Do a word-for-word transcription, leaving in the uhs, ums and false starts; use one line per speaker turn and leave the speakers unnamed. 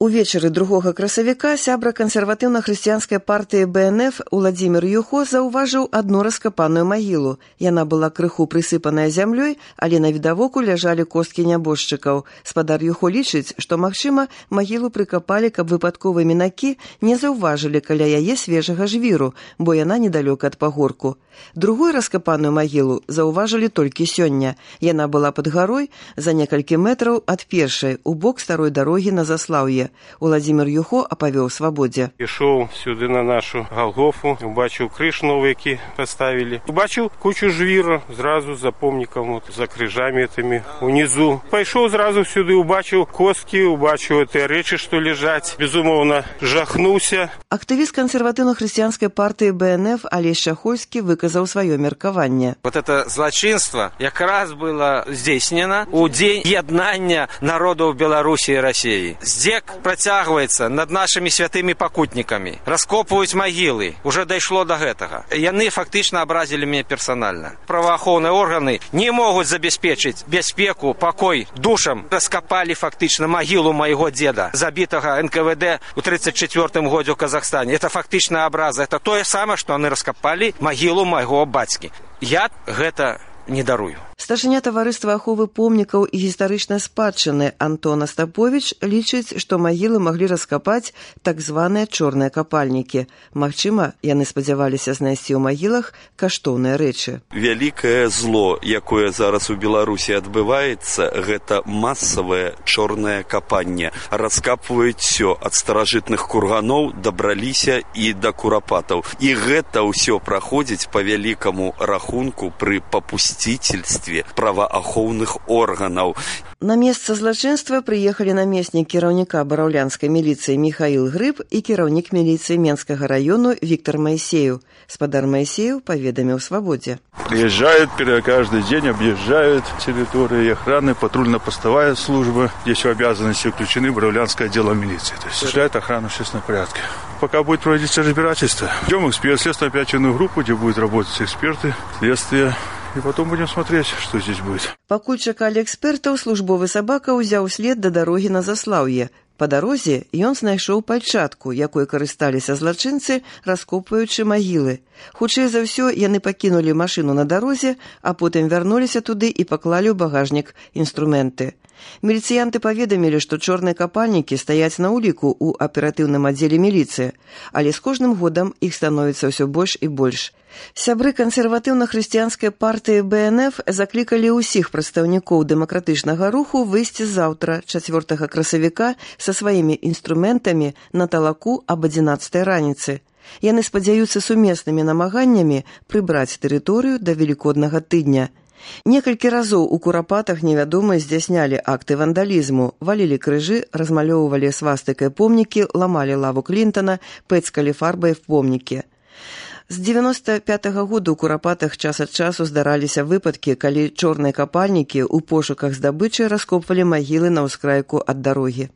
Увечары другога красавіка сябра кансерватыўна-хрысціянскай партыі бэ эн эф Уладзімір Юхо заўважыў адну раскапаную магілу. Яна была крыху прысыпаная зямлёй, але на відавоку ляжалі косткі нябожчыкаў. Спадар Юхо лічыць, што, магчыма, магілу прыкапалі, каб выпадковыя мінакі не заўважылі каля яе свежага жвіру, бо яна недалёка ад пагорку. Другую раскапаную магілу заўважылі толькі сёння. Яна была пад гарой за некалькі метраў ад першай, у бок старой дарогі на Заслаўе. Уладзімір Юхо апавёў свабодзе.
Ішоў сюды на нашу Галгофу, убачыў крыж новы, які паставілі. Убачыў кучу жвіра, зразу за помнікам, за крыжамі этими унизу. Пайшоў зразу сюды, убачыў косткі, убачыў тыя рэчы, што ляжаць. Безумоўна, жахнуўся.
Актывіст кансерватыўна-хрысціянскай партыі бэ эн эф Алесь Шахольскі выказаў сваё меркаванне.
Вот это злачынства якраз было здзейснена ў дзень яднання народаў Беларусі і Расіі. Здзек працягваецца над нашымі святымі пакутнікамі. Раскопваюць магілы. Уже дайшло до гэтага. Яны фактычна абразілі мяне персанальна. Праваахоўныя органы не могуць забяспечыць бяспеку, пакой душам. Раскапалі фактычна магілу майго дзеда, забітага эн ка вэ дэ ў тридцать четвёртым годзе ў Казахстане. Это фактычная абраза. Это тое самае, што яны раскапалі магілу майго бацькі. Я гэта не дарую.
Старшыня таварыства аховы помнікаў і гістарычнай спадчыны Антон Астаповіч лічыць, што магілы маглі раскапаць так званыя чорныя капальнікі. Магчыма, яны спадзяваліся знайсці ў магілах каштоўныя рэчы.
Вялікае зло, якое зараз у Беларусі адбываецца, гэта масавае чорнае капанне. Раскапваюць усё ад старажытных курганоў дабраліся і да курапатаў. І гэта ўсё праходзіць па вялікаму рахунку пры папусціцельстве праваахоўных органаў.
На месца злачынства прыехалі намеснік кіраўніка бараўлянскай міліцыі Михаил Грыб і кіраўнік міліцыі Менскага району Виктор Моисеев. Спадар Моисеев паведаміў свабодзе.
Приезжают каждый день, объезжают территории охраны, патрульно-постовая служба. Здесь в обязанности включены бараўлянское отдел милиции. То есть осуществляет охрану в общественном порядке. Пока будет проводиться разбирательство, идем в эксперт, следственную оперативную группу, где будут работать эксперты, следствие. И потом будем смотреть, что здесь будет.
Пакуль чакалі экспертаў, службовы сабака ўзяў след да дарогі на Заслаўе. Па дарозе ён знайшоў пальчатку, якой карысталіся злачынцы, раскопваючы магілы. Хутчэй за ўсё, яны пакінулі машыну на дарозе, а потым вярнуліся туды і паклалі ў багажнік інструменты. Міліцыянты паведамілі, што чорныя капальнікі стаяць на ўліку ў аператыўным аддзеле міліцыі, але з кожным годам іх становіцца ўсё больш і больш. Сябры кансерватыўна-хрысціянскай партыі бэ эн эф заклікалі ўсіх прадстаўнікоў дэмакратычнага руху выйсці заўтра, чацвёртага красавіка, са сваімі інструментамі на талаку аб адзінаццатай раніцы. Яны спадзяюцца сумеснымі намаганнямі прыбраць тэрыторыю да велікоднага тыдня. Некалькі разоў у курапатах невядомыя здзяйснялі акты вандалізму, валілі крыжы, размалёўвалі свастыкай помнікі, ламалі лаву Клінтана, пэцкалі фарбай в помнікі. З дзевяноста пятага года ў курапатах час ад часу здараліся выпадкі, калі чорныя капальнікі ў пошуках здабычы раскопвалі магілы на ўскрайку ад дарогі.